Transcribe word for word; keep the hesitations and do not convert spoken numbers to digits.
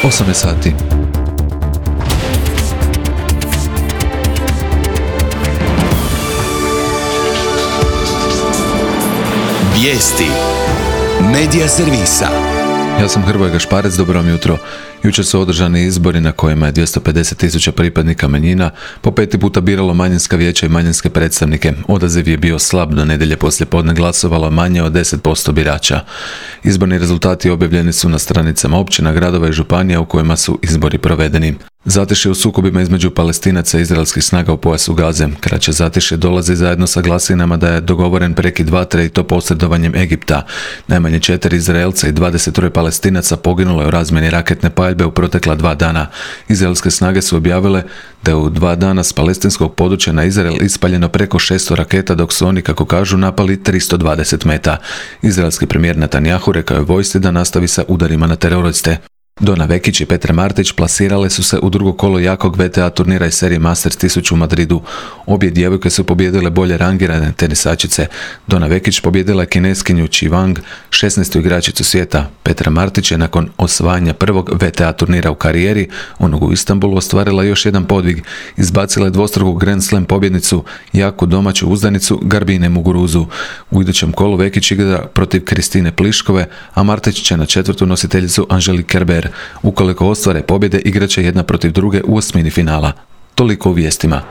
osam je sati. Vijesti Medija servisa. Ja sam Hrvoje Gašparec, dobro vam jutro. Jučer su održani izbori na kojima je dvjesto pedeset tisuća pripadnika manjina po peti puta biralo manjinska vijeća i manjinske predstavnike. Odaziv je bio slab, do nedjelje poslije podne glasovalo manje od deset posto birača. Izborni rezultati objavljeni su na stranicama općina, gradova i županija u kojima su izbori provedeni. Zatišje u sukobima između Palestinaca i izraelskih snaga u pojasu Gaze. Kraće zatišje dolazi zajedno sa glasinama da je dogovoren prekid vatre i to posredovanjem Egipta. Najmanje četiri Izraelca i dvadeset troje Palestinaca poginulo je u razmjeni raketne paljbe u protekla dva dana. Izraelske snage su objavile da je u dva dana s palestinskog područja na Izrael ispaljeno preko šesto raketa, dok su oni, kako kažu, napali tristo dvadeset meta. Izraelski premijer Netanjahu rekao je vojsci da nastavi sa udarima na teroriste. Dona Vekić i Petra Martić plasirale su se u drugo kolo jakog V T A turnira iz serije Masters tisuću u Madridu. Obje djevojke su pobijedile bolje rangirane tenisačice. Dona Vekić pobijedila je Kineskinju Chi Wang, šesnaestu igračicu svijeta. Petra Martić je nakon osvajanja prvog V T A turnira u karijeri, onog u Istanbulu, ostvarila još jedan podvig. Izbacila je dvostruku Grand Slam pobjednicu, jaku domaću uzdanicu Garbine Muguruzu. U idućem kolu Vekić igra protiv Kristine Pliškove, a Martić će na četvrtu nositeljicu Angelique Kerber. Ukoliko ostvare pobjede, igraće jedna protiv druge u osmini finala. Toliko u vijestima.